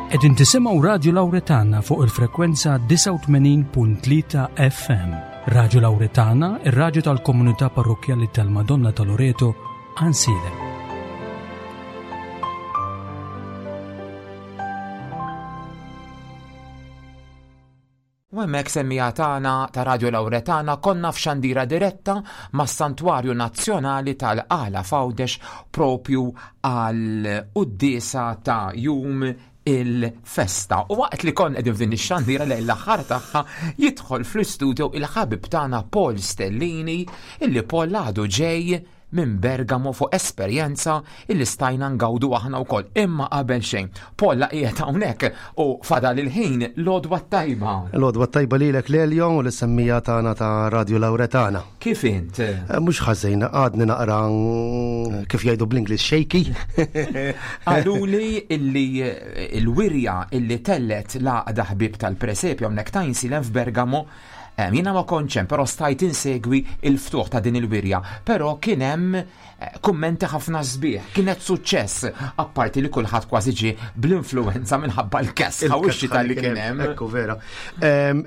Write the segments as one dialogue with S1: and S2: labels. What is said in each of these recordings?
S1: Qegħdin tisimgħu Radju Lawretana fuq il-frekwenza 89.3 FM. Radju Lawretana, ir-radju tal-komunità parrokkjali tal-Madonna ta' Loreto, Ansilem.
S2: U hemmhekk semmiegħa tagħna ta' Radio Lauretana konna f'xandira diretta mas-Santwarju Nazzjonali tal-Qala f'Għawdex propju għal quddiesa ta' jum il-festa. U waqt li kon qegħdin f'din ix-xandira lejn l-aħħar tagħha jidħol fl-istudio il-ħabib tagħna Paul Stellini illi Paul għadu ġej minn Bergamo fuq esperjenza illi stajna ngawdu aħna wkoll. Imma qabel xejn, Paul la qiegħed hawnhekk u fadal il-ħin l-għodwa t-tajba.
S3: L-għodwa t-tajba lilek Lelio u l-semmija tagħna ta' Radio Lauretana.
S2: Kif int?
S3: Eh, mhux ħażin, għadni naqra mm, kif jgħidu bl-Ingliż shaky.
S2: Qaluli illi eh, il-wirja illi tellet l-għaqda ħbieb tal-presepju hawnhekk ta' Insilem f'Bergamo Jiena ma kontx hemm, però stajt insegwi il-ftuħ ta' din il-wirja. Però kien hemm eh, kummenti ħafna sbieħ, kienet suċċess, apparti li kulħadd kważi ġie bl-influenza minħabba l-kesħa u x-xita li kien hemm.
S3: Ekku vera.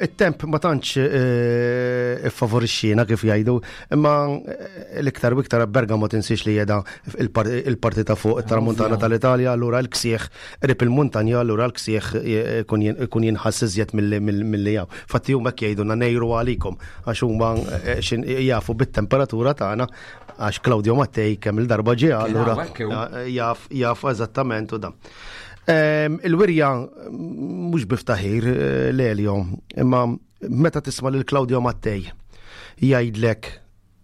S3: It-temp ma tantx eh, iffavorixxiena kif jgħidu, imma eh, l-iktar u iktar Bergamo tinsiex li jeda il-parti ta' fuq it-tramuntana tal-Italja, allura l-ksieħ Qrib il-muntanja allura l-ksieħ ikun jinħass iżjed milli hawn. Fatti huma hekk jgħidulna ngħiru għalikom għax huma eh, jafu bit-temperatura tagħna għax Claudio Mattei kemm il-darba ġie allura eh, jaf jaf eżattament u dan. Ehm, il-wirja mhux biftaħir eh, l-Elio, imma meta tisma' lil Claudio Mattei jgħidlek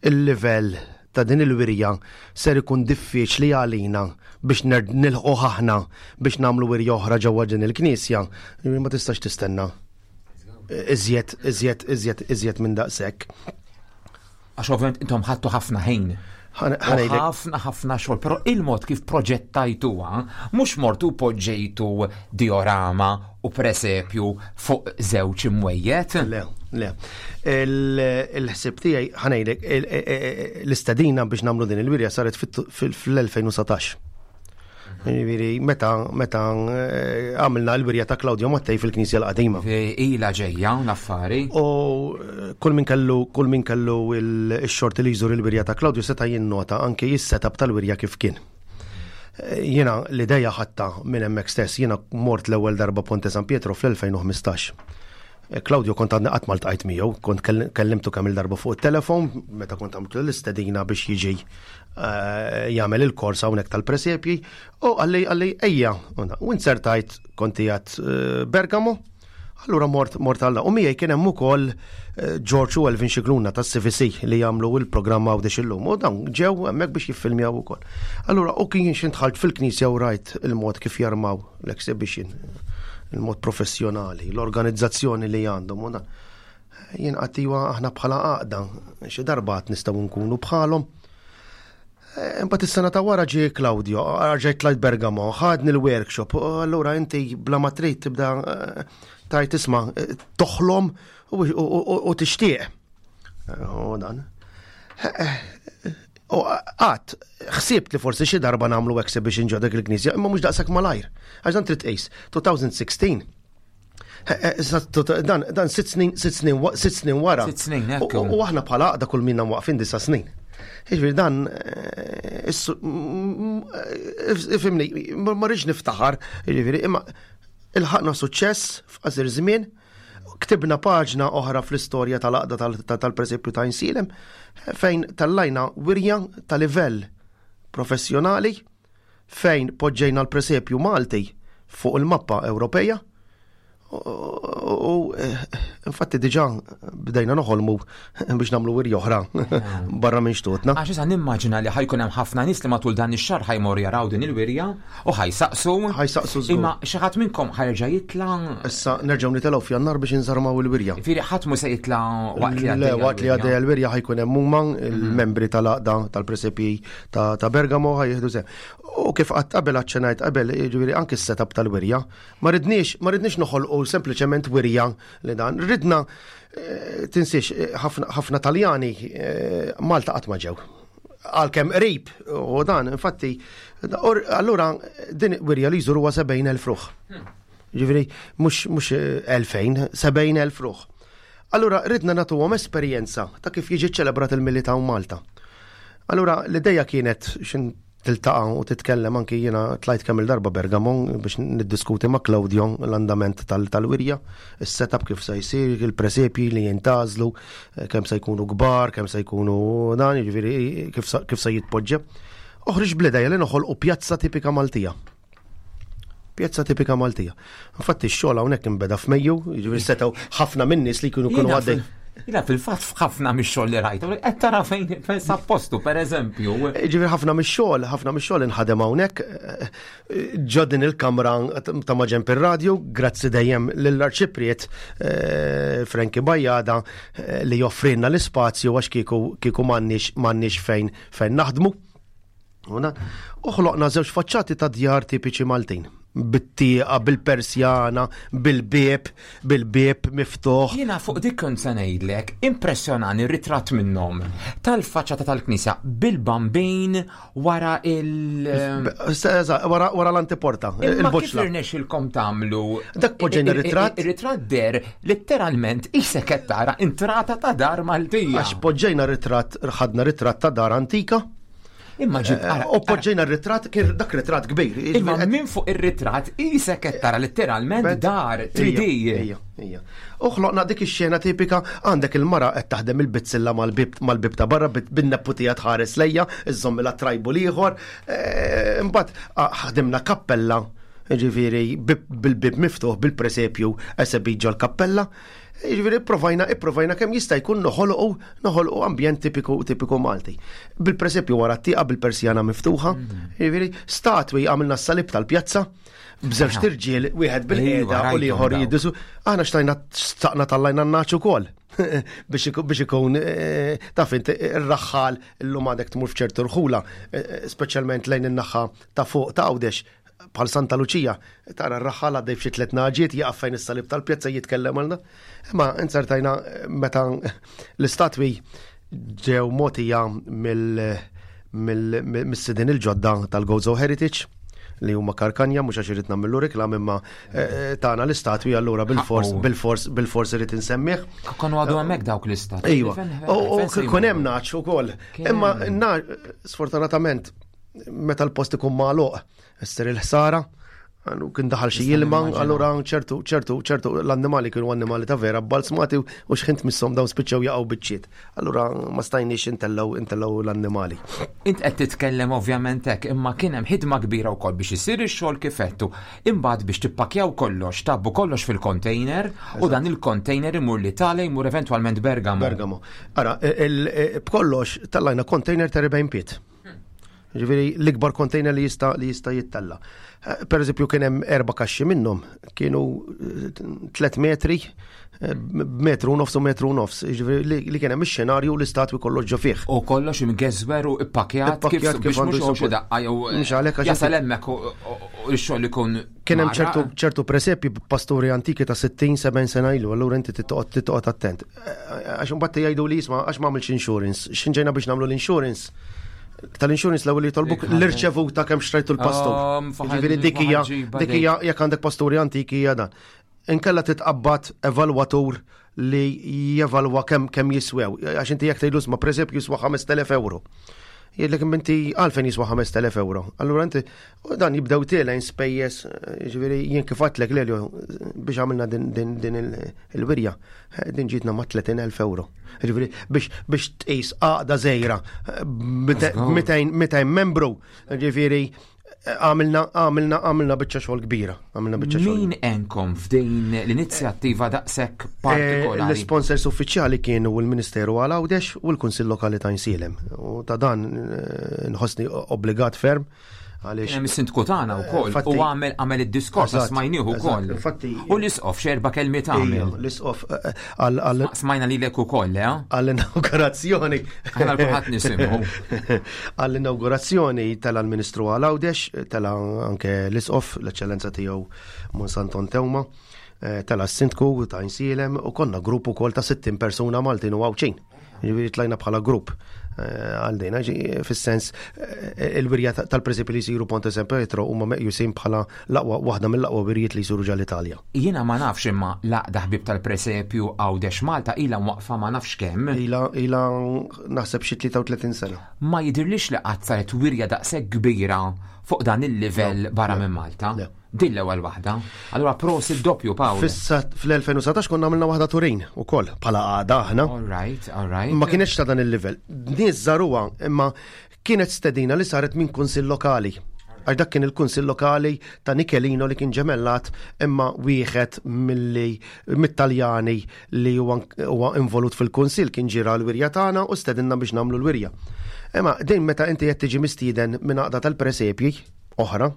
S3: Il-livell ta' din il-wirja ser ikun diffiċli għalina biex nilħquh aħna biex nagħmlu wirja oħra ġewwa din il-knisja, jiġifieri ma tistax tistenna iżjed, iżjed, iżjed, iżjed minn daqshekk.
S2: Għax ovvjament intom ħadtu ħafna ħin. Ħafna ħafna xogħol, però il-mod kif proġettajtuha mhux mortu poġġejtu diorama u presepju fuq żewġ imwejjed.
S3: Le, le. Il-ħsieb tiegħi ħanejlek l-istedina biex nagħmlu din il-wirja saret fl-2019. Jiġifieri meta meta eh, għamilna l-wirja ta' Claudio Mattei fil-Knisja l-Qadima.
S2: Ila ġejja l-affari.
S3: U eh, kull min kellu kull min kellu il-xorti li jżur il-wirja ta' Claudio seta' jinnota anke jis-setup tal-wirja kif kien. Eh, jiena l-ideja ħatta minn hemmhekk stess, jiena mort l-ewwel darba Ponte San Pietro fl-2015. Eh, Claudio kont għadni qatt ma ltqajt miegħu, kont kellimtu kemm il-darba fuq it-telefon meta kont għamiltu l-istedina biex jiġi eh, jagħmel il-kors hawnhekk tal-presepji u għalli għalli ejja u insertajt kont qiegħed Bergamo Allura mort mort għalla. U miegħi kien hemm ukoll eh, George u Elvin Xikluna tas-CVC li jagħmlu il-programm Għawdex illum. U dawn ġew hemmhekk biex jiffilmjaw ukoll. Allura u kien xi fil-knisja u rajt il-mod kif jarmaw l-exhibition, il-mod professjonali, l-organizzazzjoni li għandhom u dan. Jien qattiwa aħna bħala għaqda, xi darba qatt nistgħu nkunu bħalhom. Eh, imbagħad is-sena ta' wara ġie Claudio, rġajt tlajt Bergamo, ħadni l-workshop, allura inti bla ma trid tibda eh, tajt isma' eh, toħlom u tixtieq. U dan. U għat, ħsibt li forsi xi darba nagħmlu exhibition ġo dik il-knisja, imma mhux daqshekk malajr. Għax dan trid tqis, 2016 Dan, dan sitt snin, sitt snin, sitt snin wara.
S2: Sitt snin,
S3: ekku. U aħna bħala għaqda kull minna waqfin disa snin. Jiġifieri dan, eh, eh, ifimni, ma rridx niftaħar, jiġifieri, imma il-ħakna suċċess f'qasir żmien, ktibna paġna oħra fl-istorja tal-għaqda tal-presepju ta' Insilem, fejn tallajna wirja ta' livell professjonali fejn poġġejna l-presepju Malti fuq il-mappa Ewropeja u eh, infatti diġa bdejna noħolmu biex nagħmlu wirja oħra barra minn xtutna.
S2: Għax issa nimmaġina li ħajkun hemm ħafna nies li matul dan ix-xahar ħajmor jaraw din il-wirja u ħajsaqsu.
S3: Ħajsaqsu
S2: żgur. Imma xi ħadd minnkom ħajerġa' jitla'.
S3: Issa nerġgħu nitilgħu f'Jannar biex inżarmaw il-wirja.
S2: Fieri ħadd mhu se jitla' waqt li
S3: għaddejja. Waqt li għaddejja l-wirja ħajkun hemm huma il-membri tal-għaqda tal-presepji ta' Bergamo ħa jieħdu sehem. U kif qatt qabel aċċenajt qabel, jiġifieri anki s-setup tal-wirja, ma ridniex ma ridniex noħolqu sempliċement wirja li dan. Ridna eh, tinsiex eh, ħafna Taljani eh, Malta qatt ma ġew. Għalkemm qrib u dan, infatti, allura din wirja li jżuru 70,000 ruħ. Hmm. Ġifieri mhux 2000, 70,000 ruħ. Allura ridna nagħtuhom esperjenza ta' kif jiġi ċelebrat il-Milied hawn Malta. Allura l-ideja kienet xin tiltaqa' u titkellem anki jiena tlajt kemm il-darba Bergamo biex niddiskuti ma' Claudio l-andament tal-wirja, is-setup kif se jsir, il-presepji li jintgħażlu, kemm se jkunu kbar, kemm se jkunu dan, jiġifieri kif se jitpoġġa. Oħriġ bl-ideja li noħolqu pjazza tipika Maltija. Pjazza tipika Maltija. Infatti x-xogħol hawnhekk inbeda f'Mejju, jiġifieri setgħu ħafna min-nies li jkunu kienu għaddej.
S2: Jina fil-fatt f'ħafna mix-xogħol li rajt, qed tara fejn fejn sa postu pereżempju.
S3: Ġifieri ħafna mix-xogħol, ħafna mix-xogħol inħadem hawnhekk eh, ġo din il-kamra ta' maġenb ir-radju, grazzi dejjem lill-Arċipriet eh, Frankie Bajada eh, li joffrilna l-ispazju għax kieku kieku m'għandniex m'għandniex fejn fejn naħdmu. U ħloqna żewġ faċċati ta' djar tipiċi Maltin. Bit-tieqa, bil-persjana, bil-bieb, bil-bieb miftuħ.
S2: Jiena fuq dik kont se ngħidlek, impressjonani ritratt minnhom tal-faċċata tal-knisja bil-bambin wara il-
S3: Wara l-antiporta,
S2: il-boċla. Kif irnexxilkom tagħmlu?
S3: Dak poġġejna ritratt.
S2: Ir-ritratt der letteralment isek qed tara intrata ta' dar Maltija.
S3: Għax poġġejna ritratt, ħadna ritratt ta' dar antika.
S2: Imma ġib
S3: eh, U poġġejna r-ritratt, kien dak ritratt kbir.
S2: Imma minn fuq ir-ritratt isek qed tara letteralment dar 3D.
S3: Ija, ija. U ħloqna dik ix-xena tipika għandek il-mara qed taħdem il-bizzilla mal-bib ta' barra bin-nepputija tħares lejja, iżżomm la trajbu l-ieħor. Eh, imbagħad ħdimna kappella ġifieri bil-bib miftuħ bil-presepju esebit ġol-kappella. Jiġifieri ipprovajna ipprovajna kemm jista' jkun noħolqu noħolqu ambjent tipiku tipiku Malti. Bil-presepju wara t-tieqa bil-persjana miftuħa, mm. jiġifieri statwi għamilna s-salib tal-pjazza b'żewġ tirġiel wieħed bil-qiegħda u l-ieħor jiddisu. Aħna xtajna staqna tal-lajna n-naċ ukoll biex ikun eh, taf inti ir-raħħal illum għadek tmur f'ċertu rħula, eh, eh, speċjalment lejn in-naħa ta' fuq ta' Għawdex, bħal Santa Luċija, tara r-raħħal għaddej f'xi tliet naġiet, jaqaf fejn is-salib tal-pjazza jitkellem għalna. Imma inzertajna meta l-istatwi ġew mogħtija mill-sidin il-ġodda tal-Gozo Heritage li huma karkanja mhux għax irid nagħmlu reklam imma eh, tagħna l-istatwi allura bil-fors bil-fors bil-fors irid insemmih.
S2: Konu għadu hemmhekk dawk l-istatwi.
S3: Iva. U kien hemm naċ ukoll. Imma sfortunatament meta l-post ikun magħluq, issir il-ħsara, għandu kien daħal xi ilma, allura ċertu, ċertu, ċertu l-annimali kienu annimali ta' vera balzmati u xħint missom dawn spiċċew jaqgħu biċċiet. Allura ma stajniex intellaw intellaw l-annimali.
S2: Int qed titkellem ovvjament hekk, imma kien hemm ħidma kbira wkoll biex isir ix-xogħol kif għedtu. Imbagħad biex tippakjaw kollox, tgħabbu kollox fil-container u dan il-container imur l-Italja jmur eventwalment Bergamo.
S3: Bergamo. Ara, b'kollox tellajna container ta' 40 pied. Ġifieri l-ikbar container li jista' li jista' jittella. Eh, per eżempju kien hemm erba' kaxxi minnhom kienu 3 eh, metri eh, metru nofs u metru nofs, ġifieri li kien hemm ix-xenarju u l-istatwi kollox ġo fih.
S2: U kollox imgeżwer u ippakjat kif biex mhux xi daqqa jew mhux għalhekk jasal hemmhekk u x-xogħol ikun
S3: Kien hemm ċertu ċertu presepji b'pasturi antiki ta' 60-70 sena ilu, allura inti titqgħod titqgħod attent. Għax imbagħad jgħidu li jisma' għax m'għamilx insurance. X'in ġejna biex nagħmlu l-insurance? Tal-insurance l-ewwel jitolbuk l-irċevuta kemm xtrajtu l-pastur. Ġifieri dik hija dik hija jekk għandek pasturi antiki hija dan. Inkella titqabbad evalwatur li jevalwa kemm kemm jiswew. Għax inti jekk tgħidlu isma' presepju jiswa 5000 euro. Jgħidlek inti għalfejn jiswa 5000 euro. Allura inti dan jibdew tielgħin spejjeż, ġifieri jien kif għadtlek Lelio biex għamilna din, din, din il-wirja, din ġietna ma' 30,000 euro. Ġifieri biex biex tqis għaqda żgħira 200 membru, ġifieri Għamilna, għamilna, għamilna biċċa xogħol kbira. Għamilna biċċa
S2: xogħol. Min enkom f'din l-inizjattiva daqshekk eh, partikolari?
S3: L-sponsors uffiċjali kienu l-Ministeru għal Għawdex u l-Kunsill Lokali ta' Insielem. U ta' dan eh, nħossni obbligat ferm.
S2: Għaliex. Hemm is-sindku tagħna wkoll u għamel għamel id-diskors smajnieh ukoll. U l-isqof x'erba' kelmiet għamel.
S3: L-isqof eh, għal
S2: Smajna lilek ukoll, eh?
S3: Għall-inaugurazzjoni.
S2: Aħna kulħadd nisimgħu.
S3: Għall-inaugurazzjoni tela' l-Ministru għal Għawdex, tela' anke l-Isqof, l-Eċċellenza tiegħu Mons Anton Teuma, eh, tela' s-Sindku ta' Insielem u konna grupp ukoll ta' 60 persuna Maltin u Għawdxin. Ġifieri tlajna bħala grupp. Għal din, fis-sens eh, il-wirja tal-presepi li jsiru Ponte San Pietro huma meqjusin bħala l-aqwa waħda mill-aqwa wirjiet li jsiru ġal-Italja.
S2: Jiena ma nafx imma l-għaqda ħbieb tal-presepju Għawdex Malta ilha mwaqqfa ma nafx kemm.
S3: Ilha ilha naħseb xi 33 sena.
S2: Ma jidhirlix li qatt saret wirja daqshekk kbira fuq dan il-livell barra minn Malta. Din l-ewwel waħda. Allura prosit doppju Pawl.
S3: Fissa fl-2019 konna għamilna waħda Turin ukoll bħala għada aħna.
S2: All right, all right.
S3: Ma kienx ta' dan il-livell. Nies żaruha imma kienet stedina li saret minn kunsill lokali. Għax dak kien il-kunsill lokali ta' Nichelino li kien ġemellat imma wieħed milli mit-Taljani li huwa involut fil-kunsill kien ġira l-wirja tagħna u stedinna biex nagħmlu l-wirja. Imma din meta inti qed tiġi mistieden minn għaqda tal-presepji oħra,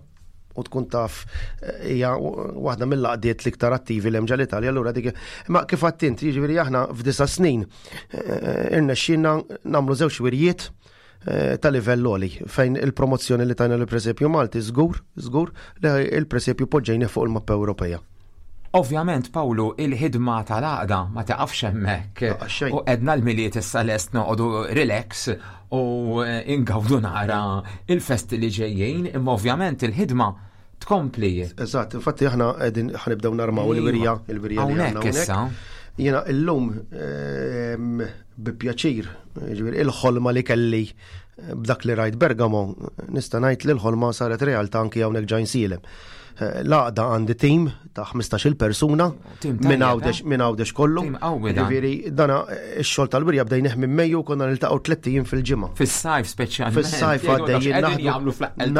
S3: u tkun taf eh, hija waħda mill-laqdiet l-iktar attivi l ġal Italja allura dik. Ma kif għattint, jiġifieri aħna f'disa snin eh, irnexxinna nagħmlu żewġ wirjiet eh, ta' livell għoli fejn il-promozzjoni li tajna l-presepju Malti żgur, żgur li il-presepju poġġejni fuq il-mappa Ewropea.
S2: Ovvjament, Pawlu, il-ħidma tal-għaqda ma taqafx hemmhekk. U edna l-Milied issa lest noqogħdu relax u eh, ingawdu nara il-festi li ġejjin, imma ovvjament il-ħidma tkompli.
S3: Eżatt, infatti aħna qegħdin ħanibdew narmaw il-wirja, il-wirja li
S2: għandna issa.
S3: Jiena illum ehm, bi pjaċir, ġifieri il-ħolma li kelli eh, b'dak li rajt Bergamo, nista' ngħid li l-ħolma saret realtà anki hawnhekk ġajn silem. Eh, l-għaqda għandi tim ta' 15-il persuna minn għawdex eh? minn għawdex kollu. Ġifieri dana eh, ix-xogħol tal-wirja bdejnih minn Mejju konna niltaqgħu tliet ijiem fil-ġimgħa.
S2: Fis-sajf speċjalment.
S3: Fis-sajf għaddejjin
S2: naħdmu fl-eqqel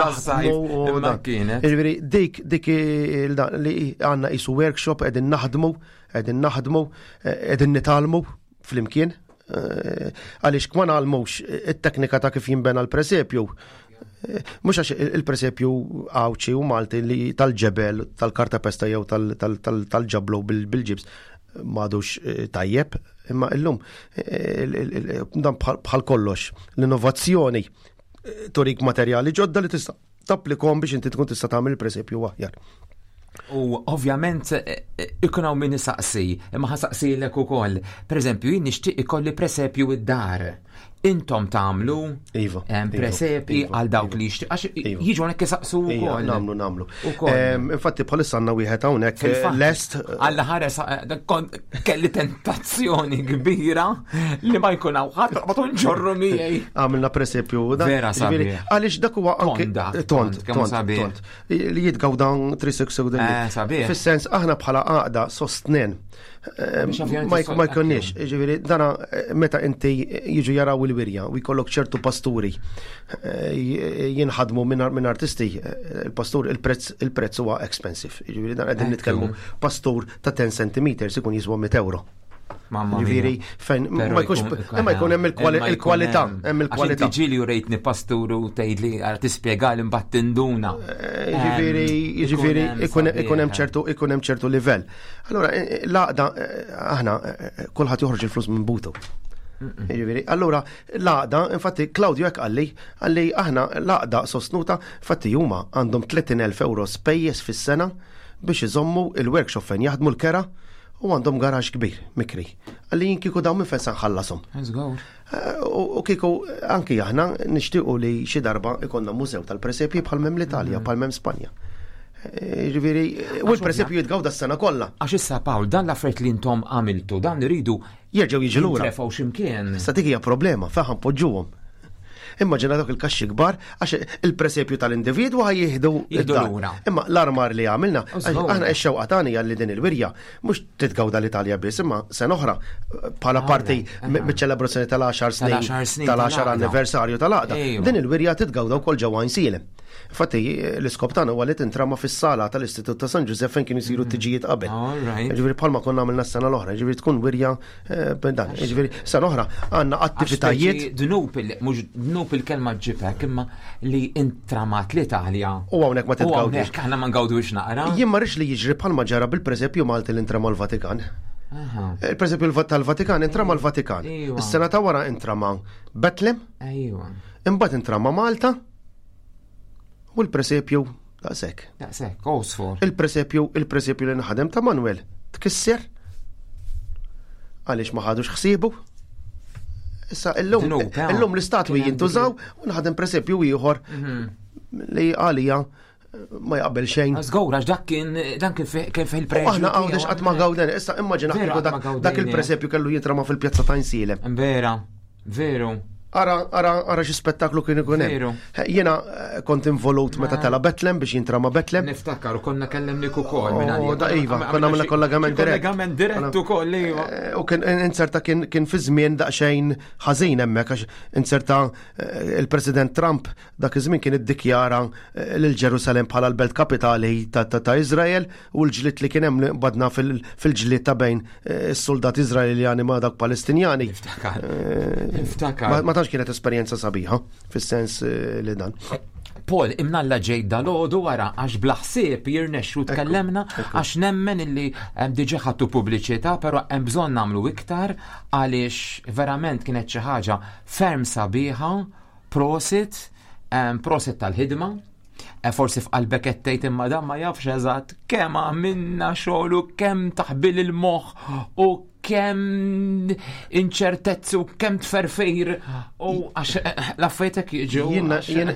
S3: Ġifieri dik dik li għandna qisu workshop qegħdin naħdmu, qegħdin naħdmu, qegħdin nitgħallmu flimkien. Eh, għaliex ma nagħlmux it-teknika ta' kif jinbena l-presepju. Eh, mhux għax il-presepju Għawdxi u Malti li tal-ġebel, tal-kartapesta jew tal-ġablu bil-ġibs m'għadux eh, tajjeb, imma illum dan bħal kollox l-innovazzjoni turik materjali ġodda li tista' tapplikom biex inti tkun tista' tagħmel il-presepju aħjar.
S2: U ovvjament eh, eh, ikun hawn min isaqsi, imma ħasaqsilek ukoll. Pereżempju, jien nixtieq ikolli presepju id-dar. Intom tagħmlu
S3: iva,
S2: iva, presepi iva, għal dawk li jixtieq għax iva. jiġu hawnhekk isaqsu wkoll.
S3: Nagħmlu nagħmlu. Infatti bħalissa għandna wieħed hawnhekk eh, lest.
S2: Alla ħares kelli tentazzjoni kbira li ma jkun hawn ħadd ma ġorru miegħi.
S3: Għamilna presepju.
S2: Vera sabiħ.
S3: Għaliex dak huwa
S2: anke
S3: tond, tond, tond. Li jitgawda 360
S2: eh, sabiħ.
S3: Fis-sens aħna bħala għaqda sostnen. Eh, ma jkunniex, ġifieri dana eh, meta inti jiġu jaraw il-wirja u jkollok ċertu pasturi jinħadmu minn artisti, il-pastur il-prezz huwa expensive. Ġifieri dan qegħdin nitkellmu pastur ta' 10 cm ikun jiswa 100 euro. Ġifieri fejn ma jkunx imma jkun hemm il-kwalità, hemm il-kwalità.
S2: Ġieli u rejtni pastur u tgħidli għal tispjega li mbagħad tinduna.
S3: Eh, ġifieri ġifieri ikun hemm ċertu ikun hemm ċertu livell. Allura eh, eh, l-għaqda aħna kulħadd joħroġ il-flus minn butu. Ġifieri, allura l-għaqda, infatti Claudio hekk qalli, qalli aħna l-għaqda sostnuta, infatti huma għandhom 30,000 euro spejjeż fis-sena biex iżommu il-workshop fejn jaħdmu l-kera u għandhom garax kbir, mikri. Għalli jien kieku dawn minn fejn se nħallasom. Eh, u kieku anki aħna nixtiequ li xi darba ikonna mużew tal-presepji bħal mem l-Italja, mhm. bħal mem Spanja. Eh, ġifieri, u l-presepju jitgawda s-sena kollha.
S2: Għax issa Pawl, dan l-affarijiet li intom għamiltu, dan iridu
S3: jerġgħu jiġu lura.
S2: Jintrefgħu x'imkien.
S3: Issa dik hija problema, fejn ħanpoġġuhom. Immaġina dawk il-kaxxi kbar għax il-presepju tal-individwu ħaj jieħdu
S2: lura.
S3: Imma l-armar li għamilna, aħna x-xewqa tagħna hija li din il-wirja mhux titgawda l-Italja biss, imma sena oħra bħala parti miċ-ċelebrazzjoni tal-10 snin tal-10 anniversarju tal-għaqda. Din il-wirja titgawda wkoll ġewwa Għajnsielem. Infatti, l-iskop tagħna huwa li tintrama fis-sala tal-Istitut ta' San Ġużepp fejn kienu jsiru t-tiġijiet qabel. Ġifieri bħalma konna għamilna s-sena l-oħra, ġifieri tkun wirja eh, dan. Ġifieri sena oħra għandna attivitajiet.
S2: Dnub mhux dnub il-kelma ġibek imma li intramat l-Italja.
S3: U hawnhekk ma titgawdux.
S2: Hawnhekk aħna ma ngawdux naqra.
S3: Jien ma rridx li jiġri bħalma ġara bil-presepju Malti li intrama l-Vatikan. Il-presepju tal-Vatikan intrama l-Vatikan. Is-sena ta' wara intrama Betlem. Imbagħad intrama Malta. U l-presepju daqshekk.
S2: Daqshekk, Oxford.
S3: Il-presepju, il-presepju li nħadem ta' Manuel tkisser għaliex ma ħadux ħsiebu. Issa illum illum l-istatwi jintużaw u naħdem presepju ieħor mhm. li għalija ma jaqbel xejn.
S2: Żgur, għax dak kien dan kien fil-preġju.
S3: Aħna għawdex qatt ma gawden, issa immaġina dak il-presepju kellu jintrama fil-pjazza ta' Insielem.
S2: Vera, veru.
S3: Ara, ara, ara xi spettaklu kien ikun hemm. Jiena eh, kont involut meta tela Betlem biex jintrama Betlem.
S2: Niftakar u konna kellemnik ukoll
S3: minn oh, Da iva, konna għamilna kollegament dirett.
S2: Kollegament dirett ukoll iva.
S3: Eh, u kien inserta kien kien fi żmien daqsxejn ħażin hemmhekk għax inserta eh, il-President Trump Dak iż-żmien kien iddikjara lil Ġerusalemm bħala l-belt kapitali ta' Iżrael u l-ġlied li kien hemm li qbadna fil-ġlied ta' bejn eh, is-soldati Iżraeljani ma' dak Palestinjani.
S2: Niftakar. Eh, Niftakar.
S3: Ma tantx kienet esperjenza sabiħa fis-sens eh, li dan.
S2: Paul, imnalla ġej dal-ħodu wara, għax blaħsib jirnexxu tkellemna, għax nemmen illi diġa ħattu pubbliċità, pero hemm bżonn nagħmlu iktar għaliex verament kienet xi ħaġa ferm sabiħa Prosit, prosit tal-ħidma. E forsi f'qalbek qed tgħid imma dan ma jafx eżatt kemm għamilna xogħol u kemm taħbil il-moħħ u kemm inċertezzi u kemm tferfir u għax eh, l-affarijiet jiġu.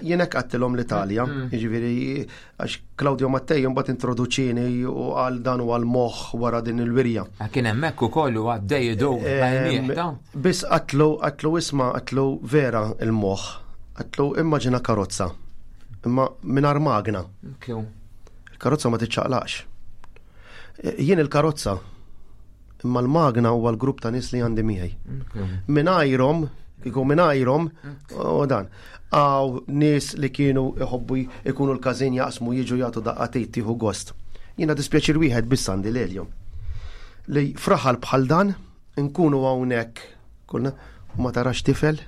S3: Jiena qattilhom l-Italja, mm. jiġifieri Għax Claudio Mattei mbagħad introduċini u għal dan u għal moħħ wara din il-wirja.
S2: Ah, kien hemmhekk ukoll u għaddej idur
S3: Biss qatlu qatlu isma' qatlu vera il-moħħ. Qatlu immaġina karozza. Imma mingħajr magna. Il-karozza ma tiċċaqlaqx. E, jien il-karozza imma l-magna huwa l-grupp ta' nies li għandi miegħi. Mingħajrhom, kieku mingħajrhom, u dan. Għaw nies li kienu iħobbu ikunu l-każin jaqsmu jiġu jagħtu daqqatit tieħu gost. Jiena dispjaċir wieħed biss għandi lilhom. Li fraħal bħal dan nkunu hawnhekk kulna u ma tarax tifel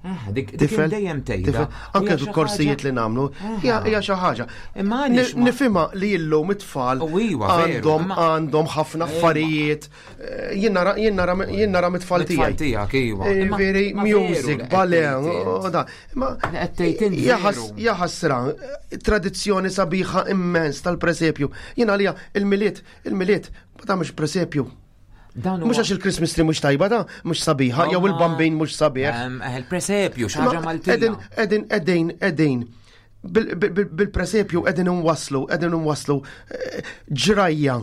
S2: Ah, dik tifel dejjem tgħidha.
S3: Anke korsijiet li nagħmlu, hija xi ħaġa. Imma nifhimha li illum it-tfal għandhom għandhom ħafna affarijiet. Eh, jien nara mit-tfal
S2: tiegħi. Tiegħek iva.
S3: Eh, veri music, ballet, da. Ma jaħasra, tradizzjoni sabiħa immens tal-presepju. Jien għalija il-miliet, il-miliet ma tagħmilx presepju. Mhux għax il-Christmas tree mhux tajba da, mhux sabiħa, jew il-bambin mhux sabiħ.
S2: Eh, il-presepju, xi ħaġa Maltija.
S3: Qegħdin, qegħdin, qegħdin. Bil-presepju qegħdin inwasslu, qegħdin inwasslu eh, ġrajja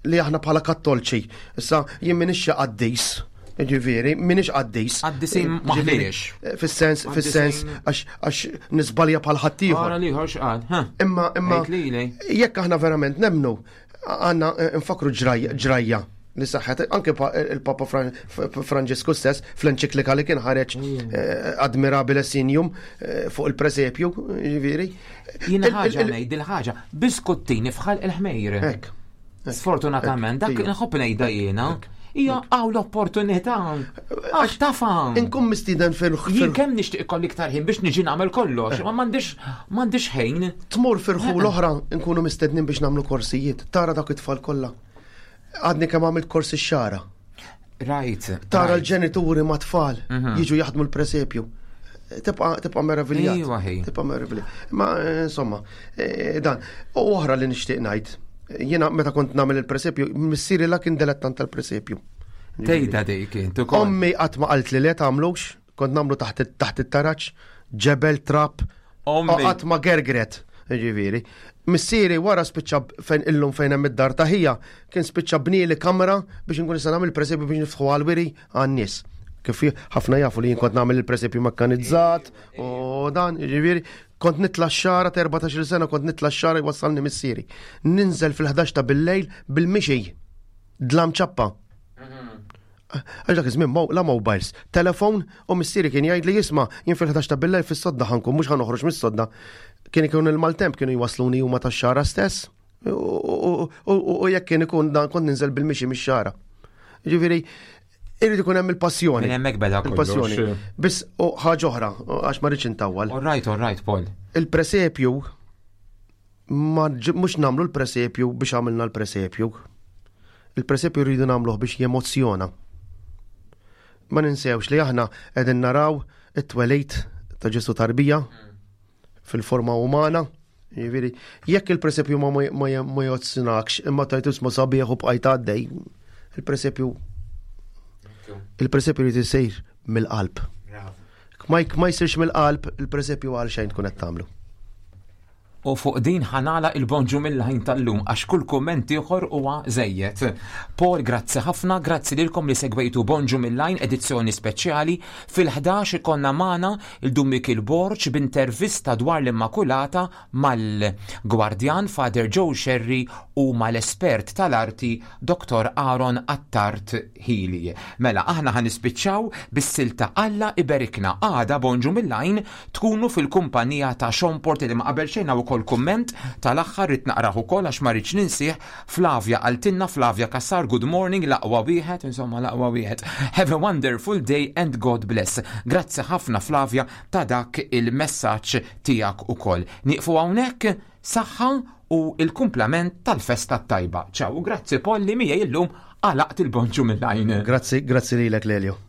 S3: li aħna bħala kattolċi. Issa jien minix xi qaddis. Ġifieri, minix qaddis.
S2: Qaddisin eh, maħniex.
S3: Fis-sens, fis-sens, għax nisbalja bħal ħaddieħor.
S2: Ara liħor x'qal,
S3: Imma, imma, jekk aħna verament nemnu, Għanna eh, nfakru ġrajja li saħħet anke il-Papa Franġisku stess fl-enċiklika li kien ħareġ mm. eh, Admirabile Signum eh, fuq il-presepju, ġifieri.
S2: Jiena ħaġa ngħid il-ħaġa, biskuttini fħal il-ħmejr. Sfortunatament, dak nħobb ngħidha jiena. Hija għaw l-opportunità. Għax tafa.
S3: Inkun mistieden fil
S2: Jien kemm nixtieq ikolli iktar ħin biex niġi nagħmel kollox, ma m'għandix m'għandix ħin.
S3: Tmur firħu l-oħra nkunu mistednin biex nagħmlu korsijiet. Tara dak it-tfal kollha. Għadni kemm għamilt korsi xara.
S2: Rajt.
S3: Tara l-ġenituri ma' tfal mhm. jiġu jaħdmu l-presepju. Tibqa tibqa meraviljat.
S2: Iva,
S3: tibqa meraviljat. Ma eh, insomma, eh, dan. U oħra li nixtieq ngħid. Jiena meta kont nagħmel il-presepju, missieri la kien dilettant tal-presepju.
S2: Tgħidha dik int ukoll.
S3: Ommi qatt ma qalt li le tagħmlux, kont nagħmlu taħt it-taraġ, ġebel trap,
S2: Ommi.
S3: Qatt ma gergret, ġifieri. Missieri wara spiċċa fejn illum fejn hemm id-dar ta' ħija, kien spiċċa bnieli kamra biex inkun nista' nagħmel presepju biex niftħu għall-wiri għan-nies. Kif ħafna jafu li jien kont nagħmel il-presepju mekkanizzat u dan, ġifieri, kont nitla' x-xara ta' 14-il sena kont nitla' x-xara jwassalni missieri. Ninżel fil-11 ta' bil-lejl bil-mixi. Dlam ċappa. Għax dak iż-żmien la mobiles, telefon u missieri kien jgħid li jisma' jien fil-11 ta' billejl fis-sodda ħankun mhux ħanoħroġ mis-sodda. Kien ikun il-maltemp kienu jwasluni huma tax-xara stess u jekk kien ikun dan kont ninżel bil-mixi mix-xara. Ġifieri, irrid ikun hemm il-passjoni.
S2: Minn hemmhekk beda
S3: Il-passjoni. Biss u ħaġa oħra, għax ma rridx intawwal.
S2: All right, all right, Paul.
S3: Il-presepju Ma mhux nagħmlu l-presepju biex għamilna l-presepju. Il-presepju rridu nagħmluh biex jemozzjona. Ma ninsewx li aħna qegħdin naraw it-twelid ta' Ġesu tarbija fil-forma umana. Jiġifieri, jekk il-presepju ma ma jozzjonakx imma tajt ismu sabiħ u bqajt għaddej, il-presepju il-presepju jrid isir mill-qalb. Ma ma jsirx mill-qalb, il-presepju għal xejn tkun qed tagħmlu.
S2: U fuq din ħa nagħlaq il-Bonġu mill-Għajn tal-lum għax kull kumment ieħor huwa żejjed. Paul, grazzi ħafna, grazzi lilkom li segwejtu Bonġu mill-Għajn edizzjoni speċjali. Fil-11 ikollna magħna il-Dun Mikiel Borg b'intervista dwar l-Immakulata mal-Gwardjan Father Joe Scerri u mal-espert tal-arti Dottor Aaron Attard Hili. Mela, aħna ħa nispiċċaw bis-silta Alla Iberikna. Għada Bonġu mill-Għajn Tkunu fil-kumpanija ta' Sean Portelli ma qabel xejn hawn ukoll kumment tal-aħħar ridt naqrah ukoll għax ma rridx ninsih Flavia qaltilna Flavia Cassar good morning l-aqwa wieħed insomma l-aqwa wieħed have a wonderful day and God bless. Grazzi ħafna Flavia ta' dak il-messaġġ tiegħek ukoll. Nieqfu hawnhekk, saħħa u l-kumplament tal-festa t-tajba. Ciao u grazzi Paul li miegħi illum għalaqt il-bonġu mill-għajn.
S3: Grazzi, grazzi lilek Lelio.